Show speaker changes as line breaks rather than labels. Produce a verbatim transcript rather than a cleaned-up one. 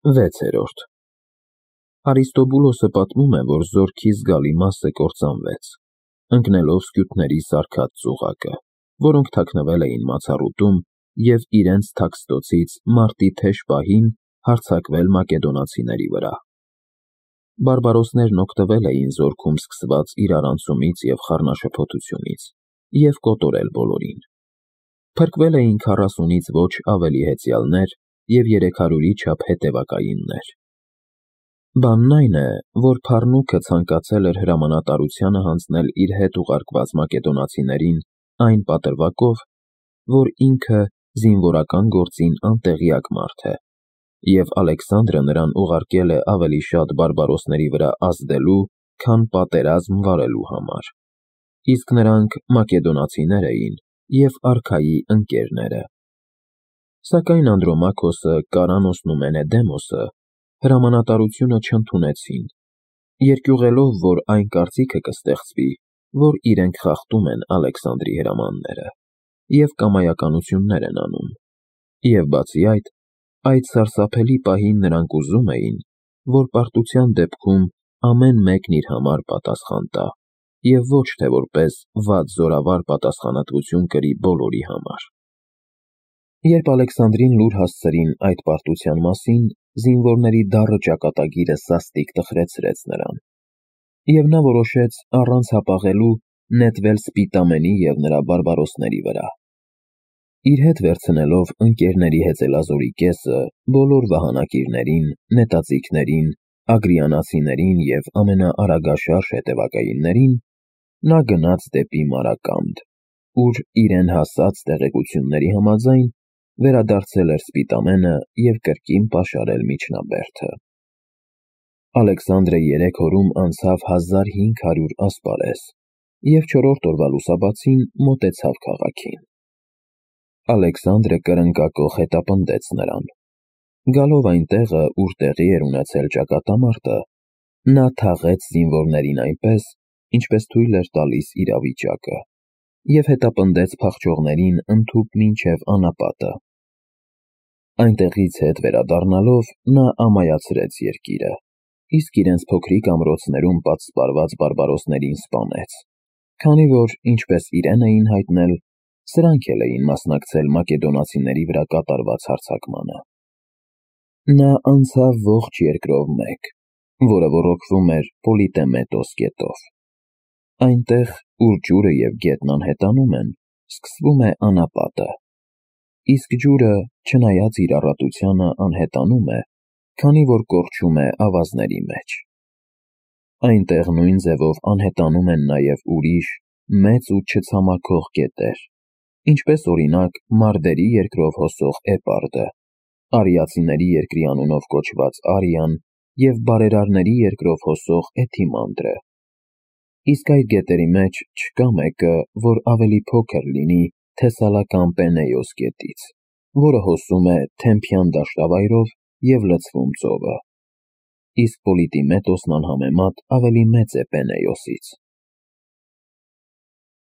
վեցերորդ Արիստոբուլոսը պատմում է, որ զորքի զգալի մասը կործանվեց, ընկնելով սկյութների սարքած ծուղակը, որոնք թաքնվել էին մացառուտում և իրենց թաքստոցից մարտի թեժ պահին հարձակվել մակեդոնացիների վրա։ Բարբարոսներն օգտվել էին զորքում սկսված իրարանցումից և խառնաշփոթությունից և կոտորել բոլորին։ Փրկվել էին քառասունից ոչ ավելի հեծյալներ և երեք հարյուրի չափ հետևակայիններ։ Բանն այն է, որ Փառնուքը ցանկացել էր հրամանատարությանը հանձնել իր հետ ուղարկված մակեդոնացիներին այն պատրվակով, որ ինքը զինվորական գործին անտեղյակ մարդ է, և Ալեքսանդրը նրան ուղարկել է ավելի շատ բարբարոսների վրա ազդելու, քան պատերազմ վարելու համար, իսկ նրանք մակեդոնացիներ էին և արքայի ընկերները։ Սակայն Անդրոմաքոսը, Կարանոսն ու Մենեդեմոսը հրամանատարությունը չընդունեցին, երկյուղելով, որ այն կարծիքը կստեղծվի, որ իրենք խախտում են Ալեքսանդրի հրամանները և կամայականություններ են անում, և բացի այդ, այդ սարսափելի պահին նրանք ուզում էին, որ պարտության դեպքում ամեն մեկն իր համար պատասխան տա, և ոչ թե որպես վատ զորավար պատասխանատվություն կրի բոլորի համար։ Երբ Ալեքսանդրին լուր հասցրին այդ պարտության մասին, զինվորների դառը ճակատագիրը սաստիկ տխրեցրեց նրան, և նա որոշեց առանց հապաղելու նետվել Սպիտամենի և նրա բարբարոսների վրա։ Իր հետ վերցնելով ընկերների հեծելազորի կեսը, բոլոր վահանակիրներին, նետաձիգներին, ագրիանացիներին և ամենաարագաշարժ հետևակայիններին, նա գնաց դեպի Մարակամդ, ուր իրեն հասած տեղեկությունների համաձայն վերադարձել էր Սպիտամենը և կրկին պաշարել միջնաբերդը։ Ալեքսանդրը երեք օրում անցավ հազար հինգ հարյուր ասպարեզ և չորրորդ օրվա լուսաբացին մոտեցավ քաղաքին։ Ալեքսանդրը կրնկակոխ հետապնդեց նրան։ Գալով այն տեղը, ուր տեղի էր ունեցել ճակատամարտը, նա թաղեց զինվորներին այնպես, ինչպես թույլ էր տալիս իրավիճակը, և հետապնդեց փախչողներին ընդհուպ մինչև անապատը։ Այնտեղից հետ վերադառնալով նա ամայացրեց երկիրը, իսկ իրենց փոքրիկ ամրոցներում պատսպարված բարբարոսներին սպանեց, քանի որ, ինչպես իրեն էին հայտնել, սրանք էլ էին մասնակցել մակեդոնացիների վրա կատարված հարձակմանը։ Նա անցավ ողջ երկրով մեկ, որը ոռոգվում էր Պոլիտեմետոս գետով։ Այնտեղ, ուր ջուրը և գետն անհետանում են, սկսվում է անապատը, իսկ ջուրը, չնայած իր առատությանը, անհետանում է, քանի որ կորչում է ավազների մեջ։ Այնտեղ նույն ձևով անհետանում են նաև ուրիշ, մեծ ու չցամաքող գետեր, ինչպես օրինակ Մարդերի երկրով հոսող Էպարդը, Արիացիների երկրի անունով կոչված Արիան և բարերարների երկրով հոսող Էթիմանդրը։ Իսկ այդ գետերի մեջ չկա մեկը, որ ավելի փոքր լինի թեսալական Պենեոս գետից, որը հոսում է Թեմփյան դաշտավայրով և լցվում ծովը, իսկ Պոլիտիմետոսն անհամեմատ ավելի մեծ է Պենեոսից։